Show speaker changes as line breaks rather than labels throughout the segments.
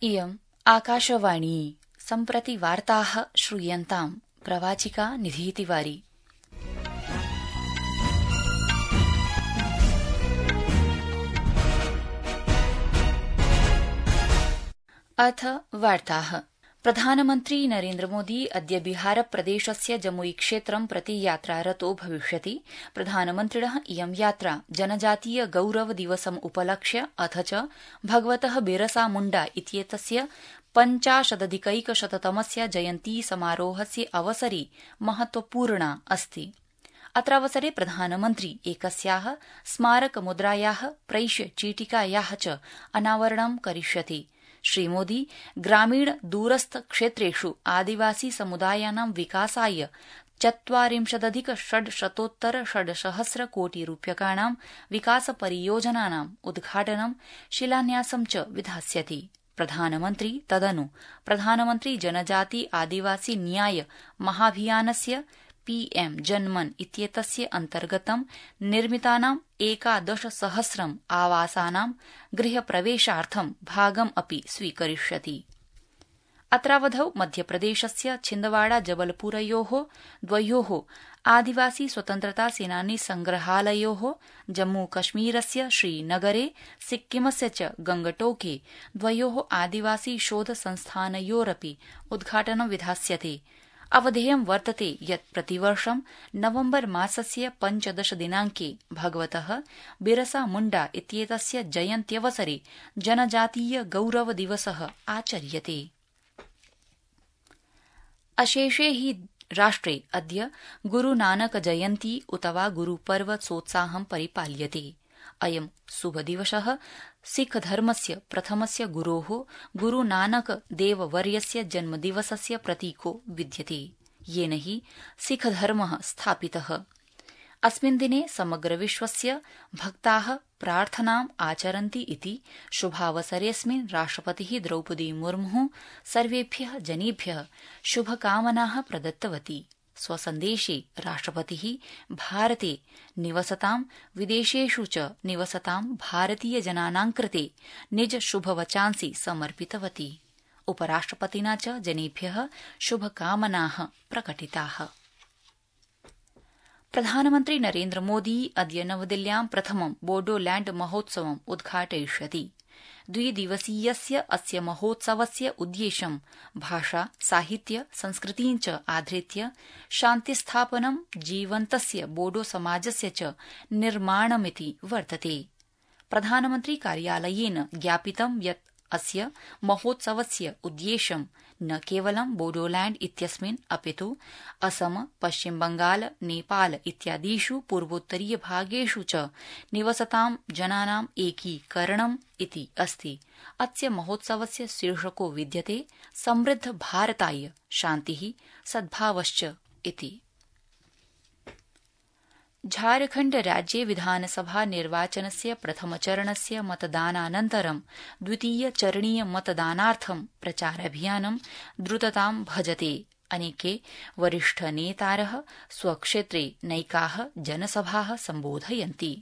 इयम् आकाशवाणी सम्प्रति वार्ताः श्रूयन्ताम् प्रवाचिका निधीतिवारी। अथ वार्ताः। प्रधानमन्त्री नरेन्द्रमोदी अद्य बिहारप्रदेशस्य जमुई क्षेत्रं प्रति यात्रारतो भविष्यति। प्रधानमन्त्रिणः इयं यात्रा जनजातीय गौरव दिवसम् उपलक्ष्य अथ च भगवतः बिरसा मुण्डा इत्येतस्य 50-अधिकैकशततमस्य जयन्ती समारोहस्य अवसरे महत्वपूर्णा अस्ति। अत्रावसरे प्रधानमन्त्री एकस्याः स्मारकमुद्रायाः प्रैष्य चीटिकायाः च अनावरणं करिष्यति। श्रीमोदी ग्रामीण दूरस्थ क्षेत्रेषु आदिवासी समुदायानां विकासाय 40,600 कोटिरूप्यकाणां विकासपरियोजनानाम् उद्घाटनं शिलान्यासं च विधास्यति। प्रधानमन्त्री तदनु प्रधानमन्त्री जनजाति आदिवासी न्याय महाभियानस्य पीएम जनमन इत्येतस्य अन्तर्गतं निर्मितानां 11,000 आवासानां गृहप्रवेशार्थं भागम् अपि स्वीकरिष्यति। अत्रावधौ मध्यप्रदेशस्य छिन्दवाड़ा जबलपुरयोः द्वयोः आदिवासी स्वतन्त्रता सेनानी संग्रहालयोः, जम्मूकश्मीरस्य श्रीनगरे सिक्किमस्य च गंगटोके द्वयोः आदिवासी शोध संस्थानयोरपि उद्घाटनं विधास्यते। अवधेयं वर्तते यत् प्रतिवर्षं नवम्बर मासस्य 15 दिनाङ्के भगवतः बिरसा मुण्डा इत्येतस्य जयन्त्यवसरे जनजातीय गौरव दिवसः आचर्यते। अशेषे हि राष्ट्रे अद्य गुरुनानक जयन्ती उत वा गुरुपर्व सोत्साहं परिपाल्यते। अयं शुभदिवसः सिखधर्मस्य प्रथमस्य गुरोः गुरुनानक देववर्यस्य जन्मदिवसस्य प्रतीको विद्यते, येन हि सिखधर्मः स्थापितः। अस्मिन् दिने समग्र विश्वस्य भक्ताः प्रार्थनाम् आचरन्ति इति शुभावसरेऽस्मिन् राष्ट्रपतिः द्रौपदी मुर्मुः सर्वेभ्यः जनेभ्यः शुभकामनाः प्रदत्तवती। स्वसन्देशे राष्ट्रपतिः भारते निवसतां विदेशेषु च निवसतां भारतीयजनानां कृते निज शुभवचांसि समर्पितवती। उपराष्ट्रपतिना च जनेभ्यः शुभकामनाः प्रकटिताः। प्रधानमन्त्री नरेन्द्रमोदी अद्य नवदिल्ल्यां प्रथमं बोडोलैण्ड महोत्सवम् उद्घाटयिष्यति। 2 दिवसीयस्य अस्य महोत्सवस्य उद्देश्यं भाषा, साहित्य, संस्कृतिं च आधृत्य शान्तिस्थापनं, जीवन्तस्य बोडो समाजस्य च निर्माणमिति वर्तते। प्रधानमन्त्री कार्यालयेन ज्ञापितं यत् अस्य महोत्सवस्य उद्देश्यं न केवलं बोडोलैण्ड इत्यस्मिन् अपितु असम, पश्चिम बंगाल, नेपाल इत्यादिषु पूर्वोत्तरीय भागेषु च निवसतां जनानां एकीकरणम् इति अस्ति। अस्य महोत्सवस्य शीर्षको विद्यते समृद्ध भारताय शान्तिः सद्भावश्च इति। झारखण्ड राज्ये विधानसभा निर्वाचनस्य प्रथमचरणस्य मतदानानन्तरं द्वितीयचरणीय मतदानार्थं प्रचाराभियानं द्रुततां भजते। अनेके वरिष्ठनेतारः स्वक्षेत्रे नैकाः जनसभाः सम्बोधयन्ति।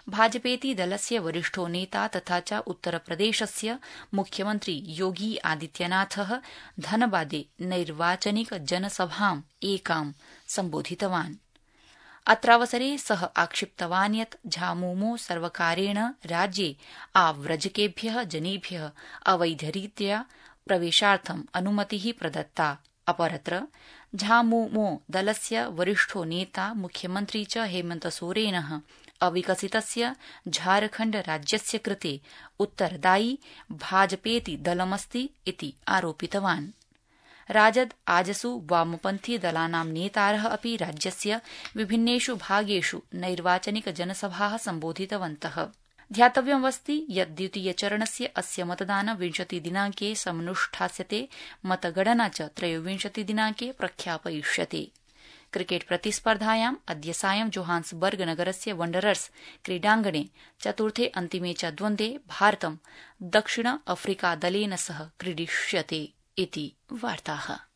भाजपेति दलस्य वरिष्ठो नेता तथा च उत्तरप्रदेशस्य मुख्यमन्त्री योगी आदित्यनाथः धनबादे नैर्वाचनिक जनसभाम् एकां सम्बोधितवान्। अत्रावसरे सः आक्षिप्तवान् यत् झामुमो सर्वकारेण राज्ये आव्रजकेभ्यः जनेभ्यः अवैधरीत्या प्रवेशार्थम् अनुमतिः प्रदत्ता। अपरत्र झामुमो दलस्य वरिष्ठो नेता मुख्यमन्त्री च हेमन्त सोरेनः अविकसितस्य झारखण्ड राज्यस्य कृते उत्तरदायी भाजपेति दलमस्ति इति आरोपितवान्। राजद आजसु वामपन्थी दलानां नेतारः अपि राज्यस्य विभिन्नेषु भागेषु नैर्वाचनिक जनसभाः सम्बोधितवन्तः। ध्यातव्यमस्ति यत् द्वितीयचरणस्य अस्य मतदानं 20 दिनाङ्के समनुष्ठास्यते। मतगणना च 23 दिनाङ्के प्रख्यापयिष्यते। क्रिकेट प्रतिस्पर्धायाम् अद्य सायं जोहान्सबर्ग नगरस्य वंडरर्स क्रीडाङ्गणे चतुर्थे अन्तिमे च द्वन्द्वे भारतं दक्षिण अफ्रीका दलेन सह क्रीडिष्यते इति वार्ताः।